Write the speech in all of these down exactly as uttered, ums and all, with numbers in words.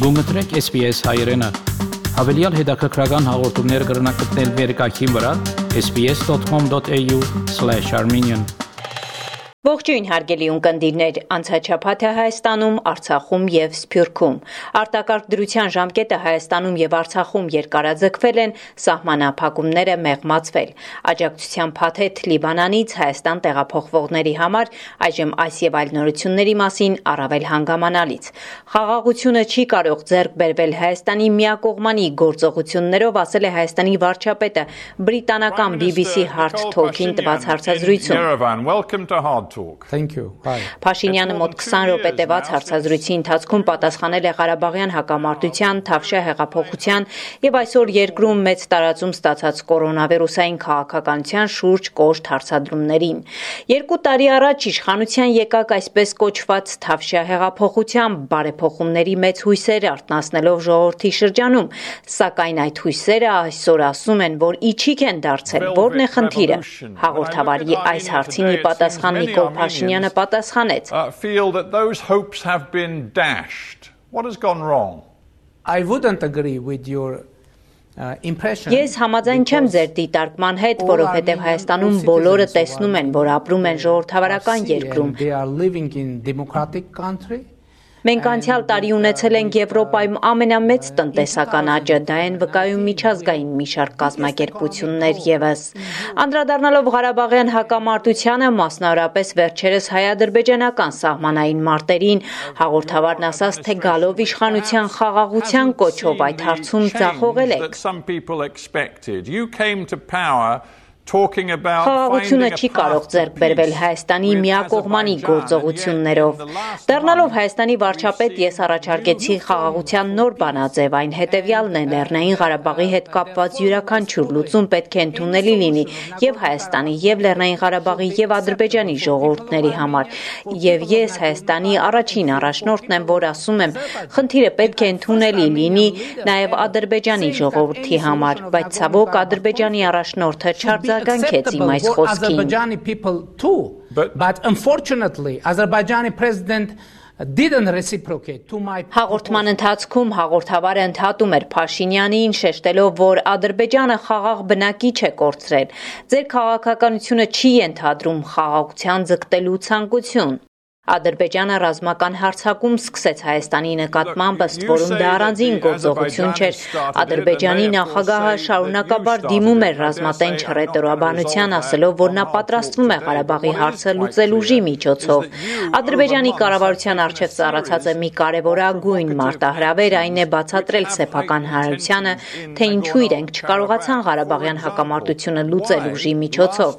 Գումտրեք S B S հայրենը։ Հավելյալ հետաքրքրական հաղորդումներ կգրնակցնել վերկայքին վրա s b s dot com dot a u slash armenian Ողջույն հարգելի ունկնդիրներ, անցաչափաթը Հայաստանում, Արցախում եւ Սփյուռքում։ Արտակարգ դրության ժամկետը Հայաստանում եւ Արցախում երկարաձգվել են, սահմանափակումները մեղմացվել։ Աջակցության փաթեթ Լիբանանից Հայաստան տեղափոխվողների համար այժմ այս եւ այլ նորությունների մասին առավել հանգամանալից։ Խաղաղությունը չի կարող ձեռք բերվել Հայաստանի միակողմանի գործողություններով, ասել է Հայաստանի վարչապետը բրիտանական B B C Hard Talk-ին տված հարցազրույցում։ Thank you. Hi. Փաշինյանը մոտ քսան րոպե տևած հարցազրույցի ընթացքում պատասխանել է Ղարաբաղյան հակամարտության, Թավշյա հեղափոխության եւ այսօր երկրում մեծ տարածում ստացած կորոնավիրուսային քաղաքականության շուրջ կոշտ հարցադրումներին։ Երկու տարի առաջ իշխանության եկակ այսպես կոչված Թավշյա հեղափոխության բարեփոխումների մեծ հույսեր արտնասնելով ժողովրդի շրջանում, սակայն այդ հույսերը այսօր ասում են, որ իջիկ են դարձել, որն է խնդիրը։ Հաղորդավարի այս հարցին ի պատասխան Նիկոլ Փաշինյանը պատասխանեց. feel that those hopes have been dashed. What has gone wrong? I wouldn't agree with your uh, impression. Ես համաձայն չեմ ձեր դիտարկման հետ, որովհետև Հայաստանում բոլորը տեսնում են, որ ապրում են ժողովրդավարական երկրում։ They are living in democratic country. Մենք անցյալ տարի ունեցել ենք Եվրոպայում ամենամեծ տնտեսական աճը, դա են վկայում միջազգային մի շարք կազմակերպություններ ևս։ Անդրադառնալով Ղարաբաղյան հակամարտությանը, մասնավորապես վերջերս հայ-ադրբեջանական սահմանային մարտերին, հաղորդավարն ասաց, թե գալով իշխանության խաղաղության կոչով այդ հարցում ձախողել եք։ Խաղաղությունը չի կարող ձեռք բերվել Հայաստանի միակողմանի գործողություններով։ Դառնալով Հայաստանի վարչապետ, ես առաջարկեցի խաղաղության նոր բանաձև, այն հետևյալն է՝ Լեռնային Ղարաբաղի հետ կապված յուրաքանչյուր լուծում պետք է ընդունելի լինի եւ Հայաստանի, եւ Լեռնային Ղարաբաղի, եւ Ադրբեջանի ժողովուրդների համար։ Եվ ես Հայաստանի առաջին առաջնորդն եմ, որ ասում եմ, խնդիրը պետք է ընդունելի լինի նաեւ Ադրբեջանի ժողովրդի համար, բայց ցավոք Ադրբեջանի առաջնորդը չարձ Azerbaijani people too, but, but unfortunately, Azerbaijani president didn't reciprocate to my. Հաղորդման ընթացքում հաղորդավարը ընդհատում էր Փաշինյանին, շեշտելով, որ Ադրբեջանը խաղաղ բնակիչ է կորցրել։ Ձեր քաղաքականությունը չի ենթադրում խաղաղության ձգտելու ցանկություն։ Ադրբեջանը ռազմական հարձակում սկսեց Հայաստանի նկատմամբ, ըստ որում դա առանձին գործողություն չէր։ Ադրբեջանի նախագահը շարունակաբար դիմում էր ռազմատենչ հռետորաբանության, ասելով, որ նա պատրաստվում է Ղարաբաղի հարցը լուծել ուժի միջոցով։ Ադրբեջանի կառավարության առջև ծառացած է մի կարևորագույն մարտահրավեր, այն է բացատրել սեփական հանրությանը, թե ինչու իրենք չկարողացան Ղարաբաղյան հակամարտությունը լուծել ուժի միջոցով։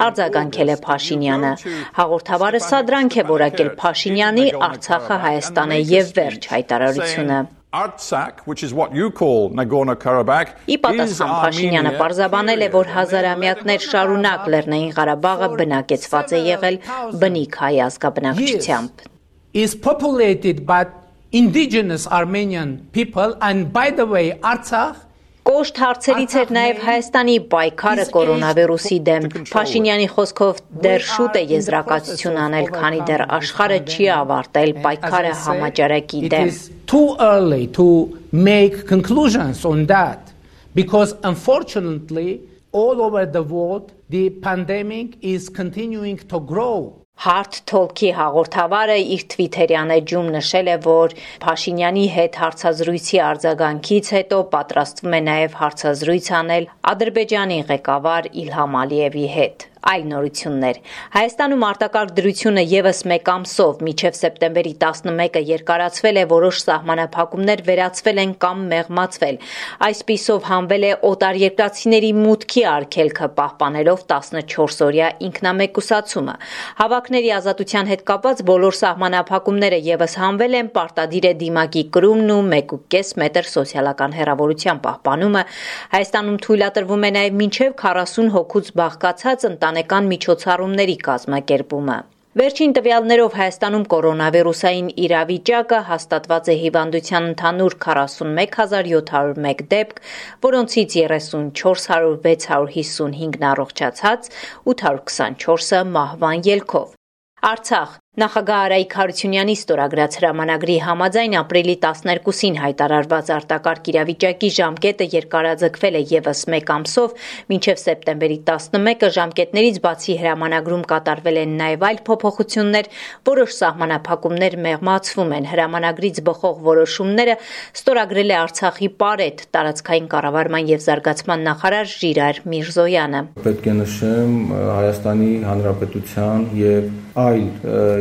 Արձագանքել է Փաշինյանը։ Հաղորդավարը սադրանք է որակել Փաշինյանի Արցախը Հայաստան է եւ վերջ հայտարարությունը։ Artsakh, which is what you call Nagorno-Karabakh, Ի պատասխան Փաշինյանը պարզաբանել է, որ հազարամյակներ շարունակ Լեռնային Ղարաբաղը բնակեցված է եղել բնիկ հայ ազգաբնակչությամբ։ Is populated by indigenous Armenian people, and by the way, Artsakh Կոշտ հարցերից էր նաև Հայաստանի պայքարը կորոնավիրուսի դեմ։ Փաշինյանի խոսքով դեռ շուտ է եզրակացություն անել, քանի դեռ աշխարհը չի ավարտել պայքարը համաճարակի դեմ։ It is too early to make conclusions on that because unfortunately all over the world the pandemic is continuing to grow. Hard Talk-ի հաղորդավարը իր Twitter-յան էջում նշել է, որ Փաշինյանի հետ հարցազրույցի արձագանքից հետո պատրաստվում է նաև հարցազրույց անել Ադրբեջանի ղեկավար Իլհամ Ալիևի հետ։ Այլ նորություններ։ Հայաստանում արտակարգ դրությունը եւս մեկ ամսով մինչև սեպտեմբերի տասնմեկը երկարացվել է, որոշ սահմանափակումներ վերացվել են կամ մեղմացվել։ Այսպիսով հանվել է օտարերկրացիների մուտքի արգելքը, պահպանելով տասնչորսօրյա ինքնամեկուսացումը։ Հավաքների ազատության հետ կապված բոլոր սահմանափակումները եւս հանվել են, պարտադիր է դիմակի կրումն ու մեկ ու կես մետր սոցիալական հեռավորության պահպանումը։ Հայաստանում թույլատրվում է նաև մինչև քառասուն հոգուց բաղկացած ընտանեկան միջոցառումների կազմակերպումը։ Վերջին տվյալներով Հայաստանում կորոնավիրուսային իրավիճակը հաստատված է հիվանդության ընդհանուր քառասունմեկ հազար յոթ հարյուր մեկ դեպք, որոնցից երեսունչորս հազար վեց հարյուր հիսունհինգն առողջացած, ութ հարյուր քսանչորսը մահվան ելքով։ Արցախ Նախագահ Արայիկ Հարությունյանի ստորագրած հրամանագրի համաձայն ապրիլի տասներկուսին հայտարարված արտակարգ իրավիճակի ժամկետը երկարաձգվել է ևս մեկ ամսով, մինչև սեպտեմբերի տասնմեկը ժամկետներից բացի հրամանագրում կատարվել են նաև այլ փոփոխություններ, որոշ սահմանափակումներ մեղմացվում են։ Հրամանագրից բխող որոշումները ստորագրել է Արցախի Պարետ, տարածքային կառավարման և զարգացման նախարար Ժիրայր Միրզոյանը։ Պետք է նշեմ Հայաստանի Հանրապետության և այլ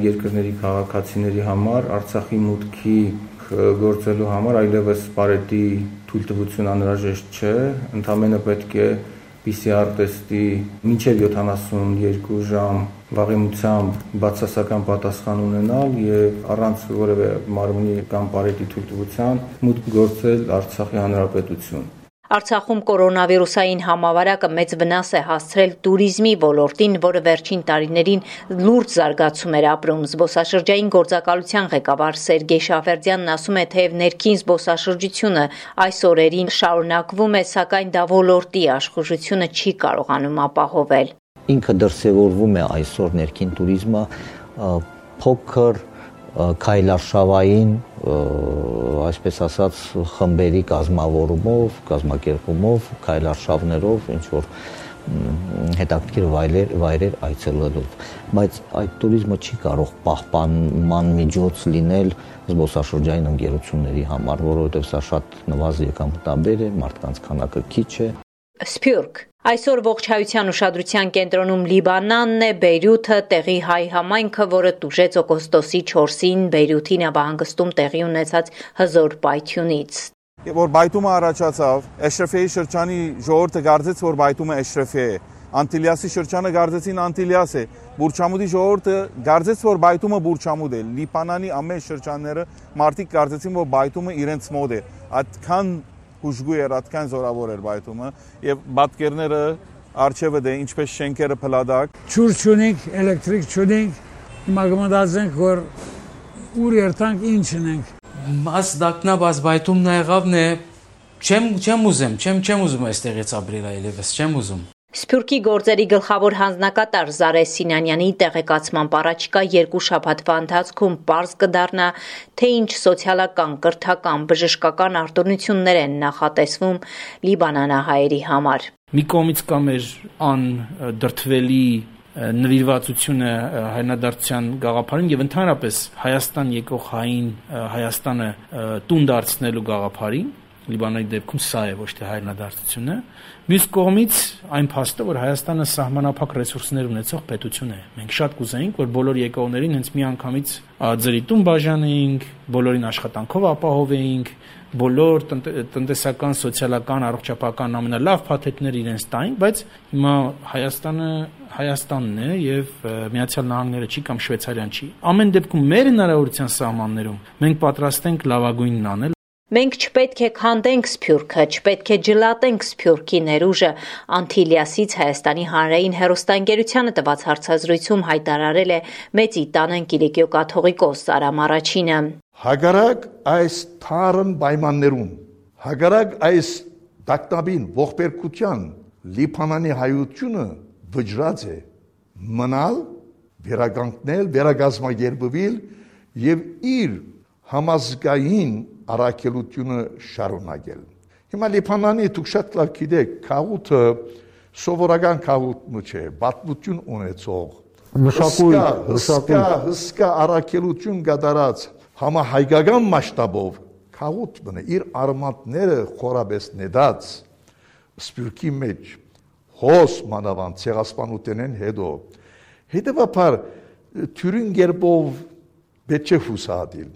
երկրների քաղաքացիների համար Արցախի մուտքի գործելու համար այլևս Պարետի թույլտվություն անհրաժեշտ չէ, ընդամենը պետք է Պի Սի Ար տեստի մինչև յոթանասունյոթ ժամ վաղեմությամբ բացասական պատասխան ունենալ եւ առանց որևէ մարմնի կամ Պարետի թույլտվության մուտք գործել Արցախի Հանրապետություն։ Արցախում կորոնավիրուսային համավարակը մեծ վնաս է հասցրել տուրիզմի ոլորտին, որը վերջին տարիներին լուրջ զարգացում էր ապրում։ Զբոսաշրջային գործակալության ղեկավար Սերգեյ Շաֆերդյանն ասում է, թեև ներքին զբոսաշրջությունը այս օրերին շարունակվում է, սակայն դա ոլորտի աշխուժությունը չի կարողանում ապահովել։ Ինքը դրսևորվում է այսօր ներքին տուրիզմը փոքր քայլարշավային, այսպես ասած, խմբերի կազմավորումով, կազմակերպումով, քայլարշավներով, ինչ որ հետաքրքիր վայրեր, վայրեր այցելելով, բայց այդ տուրիզմը չի կարող պահպանման միջոց լինել զբոսաշրջային ընկերությունների համար, որովհետև սա շատ նվազ եկամտաբեր է, մարդկանց քանակը քիչ է։ Սփյուռք Այսօր ողջայության ուշադրության կենտրոնում Լիբանանն է, Բեյրութը, տեղի հայ համայնքը, որը տուժեց օգոստոսի չորսին Բեյրութի նավահանգստում տեղի ունեցած հզոր պայթյունից։ Որ բայթումը առաջացավ, Էշրեֆեի շրջանի ժողովուրդը գարձեց, որ բայթումը Էշրեֆե է, Անտիլիասի շրջանը գարձեցին Անտիլիաս է, Բուրչամուդի ժողովուրդը գարձեց, որ բայթումը Բուրչամուդ է, Լիբանանի ամեն շրջանները մարդիկ գարձեցին, որ բայթումը իրենց մոտ է, այդքան հուժգու էր, այդքան զորավոր էր բայթումը եւ բատկերները արջևը դե ինչպես շենքերը փլադակ ջուր չունենք, էլեկտրիկ չունենք, հիմա գմտածենք որ ուր երթանք ինչն ենք։ Աս դակնաբաց բայթումն եղավն է, չեմ չեմ ուզեմ, չեմ չեմ ուզում այստեղից ապրել այլևս, չեմ ուզում։ Սփյուռքի գործերի գլխավոր հանձնակատար Զարե Սինանյանի տեղեկացմամբ առաջիկա երկու շաբաթվա ընթացքում պարզ կդառնա, թե ինչ սոցիալական, կրթական, բժշկական արտոնություններ են նախատեսվում լիբանանահայերի համար։ Մի կողմից կա մեր անդրդվելի նվիրվածությունը հայրենադարձության գաղափարին եւ ընդհանրապես Հայաստան եկող հային Հայաստանը տուն դարձնելու գաղափարին։ Լիբանանի դեպքում սա է, ոչ թե հայրենադարձությունը։ Մյուս կողմից այն փաստը, որ Հայաստանը սահմանափակ ռեսուրսներ ունեցող պետություն է։ Մենք շատ կուզեինք, որ բոլոր եկողներին հենց միանգամից ձրի տուն բաժանեինք, բոլորին աշխատանքով ապահովեինք, բոլոր տնտեսական, սոցիալական, առողջապահական ամենալավ փաթեթները իրենց տային, բայց հիմա Հայաստանը Հայաստանն է եւ Միացյալ Նահանգները չի կամ Շվեյցարիան չի։ Ամեն դեպքում մեր հնարավորության սահմաններում մենք պատրաստ ենք լավագույնն անել։ Մենք չպետք է քանդենք Սփյուռքը, չպետք է ջլատենք Սփյուռքի ներուժը, Անտիլիասից Հայաստանի հանրային հեռուստաընկերությանը տված հարցազրույցում հայտարարել է Մեծի տանն Կիլիկիո կաթողիկոս Արամ Առաջինը։ Հակառակ այս թարմ պայմաններում, հակառակ այս դակտաբին ողբերգության Լիբանանի հայությունը վճռած է մնալ, վերականգնել, վերագազմագերբվել եւ իր համազգային առաքելությունը շարունակել։ Հիմա Լիբանանի դուք շատ լավ գիտեք, քաղուտը սովորական քաղուտ չէ, պատմություն ունեցող, մշակույթ, հսկա, հսկա առաքելություն կատարած համահայկական մասշտաբով քաղուտ բնե իր արմատները խորաբես նետած Սփյուռքի մեջ հոս մանավանդ ցեղասպանութենեն հետո հետևաբար թյուրին գերբով պետք է հուսադիլ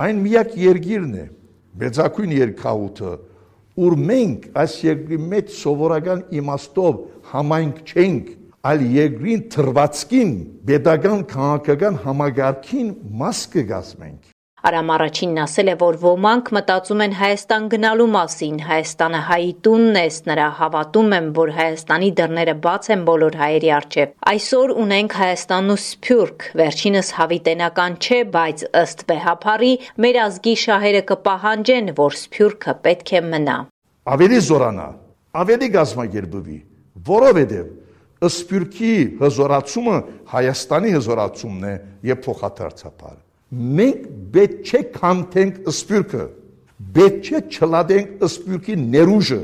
այն միակ երկիրն է մեծակույն երկաուտը ուր մենք այս երկրի մեջ սովորական իմաստով համայնք չենք այլ երկրին թրվածքին պետական քաղաքական համագարքին մաս կգազմենք Արամ Առաջինն ասել է, որ ոմանք մտածում են Հայաստան գնալու մասին, Հայաստանը հայի տունն է, նրա հավատում եմ, որ Հայաստանի դռները բաց են բոլոր հայերի առջև։ Այսօր ունենք Հայաստանն ու Սփյուռք, վերջինս հավիտենական չէ, բայց ըստ վեհափառի մեր ազգի շահերը կպահանջեն, որ Սփյուռքը պետք է մնա։ Ավելի զորանա, ավելի գազմագերբվի, որովհետև Սփյուռքի հզորացումը Հայաստանի հզորացումն է եւ փոխադարձաբար։ Մենք պետք չէ քանդենք Սփյուռքը, պետք չէ չլադենք Սփյուռքի ներուժը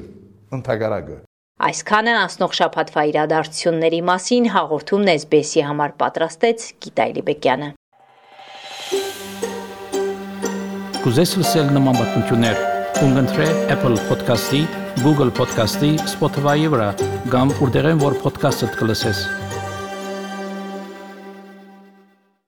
ընդհանրակը։ Այսքանը անցնող շաբաթվա իրադարձությունների մասին հաղորդումն էս բի էս-ի համար պատրաստեց Գիտա Լիբեկյանը։ Կուզես լսել նման բանություններ, կընտրե Apple Podcast-ի, Google Podcast-ի, Spotify-ի վրա, կամ որտեղեն որ podcast-ը կլսես։